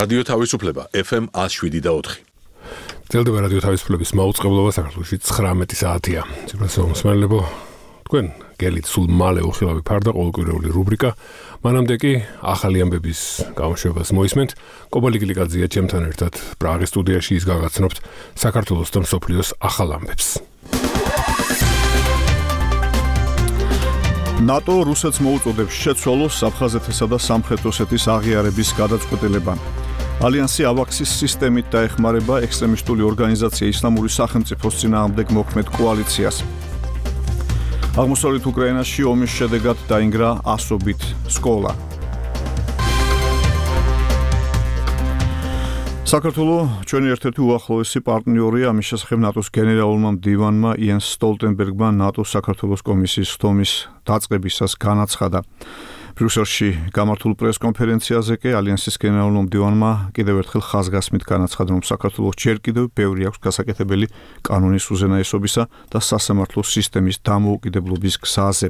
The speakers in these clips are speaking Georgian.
რადიო თავისუფლება FM 107.4. ძელდება რადიო თავისუფლების მაუწყებლობა საქართველოში 19 საათია. ძილასო მსმენელებო, თქვენ გელით სულ მალე უხილავი ფარდა ყოველკვირეული რუბრიკა. მანამდე კი ახალი ამბების გამოშვებას მოისმენთ. კობალი გლიკაძეა ჩემთან ერთად პრაღის სტუდიაში ის გაგაცნობთ საქართველოს და მსოფლიოს ახალ ამბებს. ნატო რუსეთს მოუწოდებს შეცვალოს აფხაზეთისა და სამხრეთ ოსეთის აღიარების გადაწყვეტილება. ალიანსი ავაქსის სისტემით დაეხმარება ექსტრემისტული ორგანიზაცია ისლამური სახელმწიფოს წინააღმდეგ მოქმედ კოალიციას. აღმოსავლეთ უკრაინაში ომის შედეგად დაინგრა ასობით სკოლა. საქართველოს ჩვენი ერთ-ერთი უახლოესი პარტნიორია, ამის შესახებ ნატოს გენერალურმა მდივანმა იენს სტოლტენბერგმა ნატოს საქართველოს კომისიის ხდომის დაწყებისას განაცხადა. ბრიუსელში გამართულ პრესკონფერენციაზე კი ალიანსის გენერალურმა მდივანმა კიდევ ერთხელ ხაზგასმით განაცხადა, რომ საქართველოს ჯერ კიდევ ბევრი აქვს გასაკეთებელი კანონის უზენაესობისა და სასამართლო სისტემის დამოუკიდებლობის გზაზე.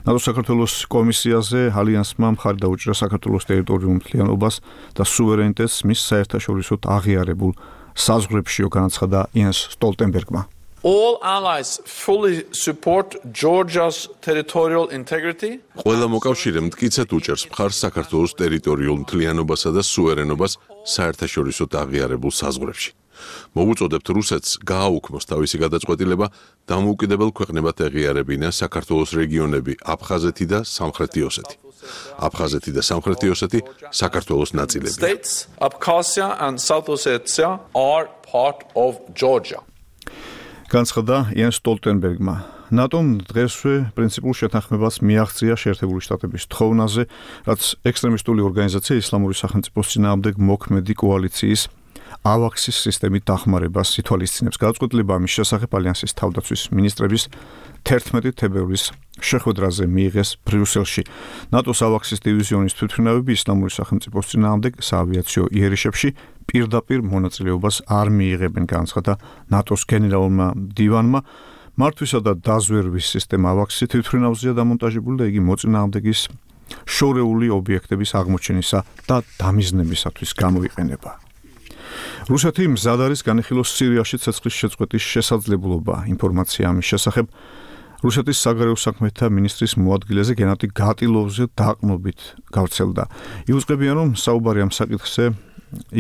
ნატოს საქართველოს კომისიაზე ალიანსმა მხარი დაუჭირა საქართველოს ტერიტორიულ მთლიანობას და სუვერენიტეტს მის საერთაშორისო აღიარებულ საზღვრებშიო, განაცხადა იენს სტოლტენბერგმა. All allies fully support Georgia's territorial integrity. ყველა მოკავშირე მტკიცედ უჭერს მხარს საქართველოს ტერიტორიულ მთლიანობასა და სუვერენობას საერთაშორისო აღიარებულ საზღვრებში. მოვუწოდებთ რუსეთს გააუქმოს თავისი გადაწყვეტილება დამოუკიდებელ ქვეყნებად ეღიარებინა საქართველოს რეგიონები აფხაზეთი და სამხრეთი ოსეთი. აფხაზეთი და სამხრეთი ოსეთი საქართველოს ნაწილებია. States Abkhazia and South Ossetia are part of Georgia. განცხადა იენს სტოლტენბერგმა. ნატომ დღესვე პრინციპულ შეთანხმებას მიაღწია შეერთებული შტატების თხოვნაზე, რაც ექსტრემისტული ორგანიზაცია ისლამური სახელმწიფოს წინააღმდეგ მოქმედი კოალიციის ავაქსის სისტემით დახმარებას ითვალისწინებს. გადაწყვეტილება ამის შესახებ ალიანსის თავდაცვის მინისტრების 11 თებერვლის შეხვედრაზე მიიღეს ბრიუსელში. ნატოს ავაქსის დივიზიონის თვითმფრინავები ისლამური სახელმწიფოს წინააღმდეგ საავიაციო იერიშებში პირდაპირ მონაწილეობას არ მიიღებენ, განაცხადა ნატოს გენერალურმა მდივანმა. მართვისა და დაზვერვის სისტემა ავაქსი თვითმფრინავზეა დამონტაჟებული და იგი მოწინააღმდეგის შორეული ობიექტების აღმოჩენისა და დამიზნებისათვის გამოიყენება. რუსეთი მზად არის განიხილოს სირიაში ცეცხლის შეწყვეტის შესაძლებლობა. ინფორმაცია ამის შესახებ რუსეთის საგარეო საქმეთა მინისტრის მოადგილეზე გენადი გატილოვზე დაყრდნობით გავრცელდა. იუწყებიან, რომ საუბარი ამ საკითხზე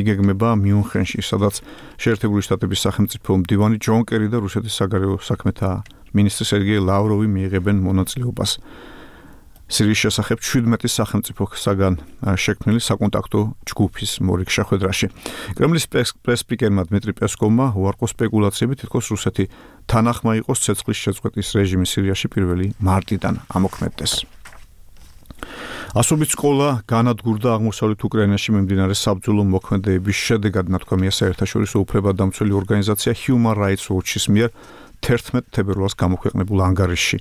იგეგმება მიუნხენში, სადაც შეერთებული შტატების სახელმწიფო მდივანი ჯონ კერი და რუსეთის საგარეო საქმეთა მინისტრი სერგეი ლავროვი მიიღებენ მონაწილეობას. სირიის შესახებ 17 სახელმწიფოსაგან შექმნილი საკონტაქტო ჯგუფის მორიგ შეხვედრაში. კრემლის პრესსპიკერმა დმიტრი პესკოვმა უარყო სპეკულაციები, თითქოს რუსეთი თანახმა იყოს ცეცხლის შეწყვეტის რეჟიმის სირიაში 1 მარტიდან ამოქმედდეს. ასობით სკოლა განადგურდა აღმოსავლეთ უკრაინაში მიმდინარე საბრძოლო მოქმედებების შედეგად, ნათქვამია საერთაშორისო უფლებადამცველი ორგანიზაცია Human Rights Watch-ის მიერ 11 თებერვალს გამოქვეყნებულ ანგარიშში.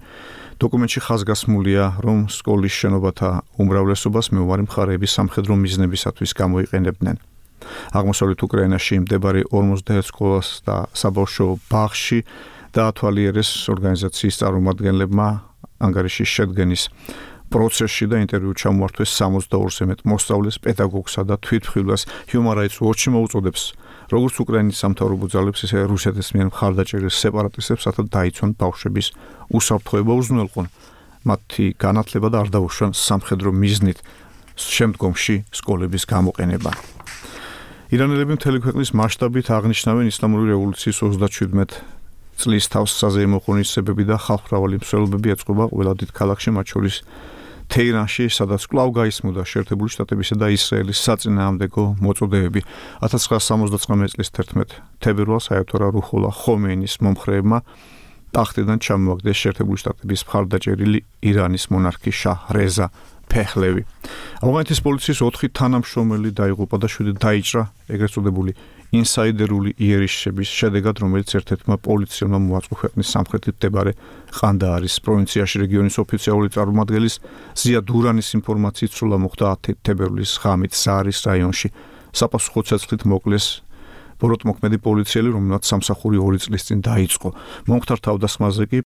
დოკუმენტში ხაზგასმულია, რომ სკოლის შენობათა უმრავლესობას მეომარი მხარეების სამხედრო მიზნებისათვის გამოიყენებდნენ. აღმოსავლეთ უკრაინაში მდებარე 51 სკოლას და საბავშვო ბაღში დაათვალიერეს ორგანიზაციის წარმომადგენლებმა ანგარიშის შედგენის პროცესში და ინტერვიუ ჩამოართვეს 62-ზე მეტ მოსწავლეს, პედაგოგსა და თვითმხილველს. Human Rights Watch მოუწოდებს როგორც უკრაინის სამთავრობო ძალებს, ისე რუსეთის მიერ მხარდაჭერილ სეპარატისტებს, რათა დაიცვან ბავშვების უსაფრთხოება, უზრუნველყონ მათი განათლება და არ დაუშვან სამხედრო მიზნით შემდგომში სკოლების გამოყენება. ირანელები მთელი ქვეყნის მასშტაბით აღნიშნავენ ისლამური რევოლუციის 37 წლის თავს საზეიმო ღონისძიებები და ხალხმრავალი მსვლელობები ეწყობა ყველა დიდ ქალაქში, მათ შორის თეირანში, სადაც კვლავ გაისმოდა შეერთებული შტატებისა და ისრაელის საწინააღმდეგო მოწოდებები. 1979 წლის 11 თებერვალს აიათოლა რუჰოლა ხომეინის მომხრეებმა ტახტიდან ჩამოაგდეს შეერთებული შტატების მხარდაჭერილი ირანის მონარქი შაჰ რეზა ფეხლევი. ავღანეთის პოლიციის 4 თანამშრომელი დაიღუპა და 7 დაიჭრა, ეგრეთ წოდებული ინსაიდერული იერიშების შედეგად, რომელიც ერთ-ერთმა პოლიციელმა მოაწყო ქვეყნის სამხრეთით მდებარე ყანდაარის პროვინციაში. რეგიონის ოფიციალური წარმომადგენლის ზია დურანის ინფორმაციით სრულა მოხდა 10 თებერვლის ღამით ზარის რაიონში. საპასუხო ცეცხლით მოკლეს ბოროტმოქმედი პოლიციელი, რომელმაც სამსახური 2 წლის წინ დაიწყო. მომხდარ თავდასხმაზე კი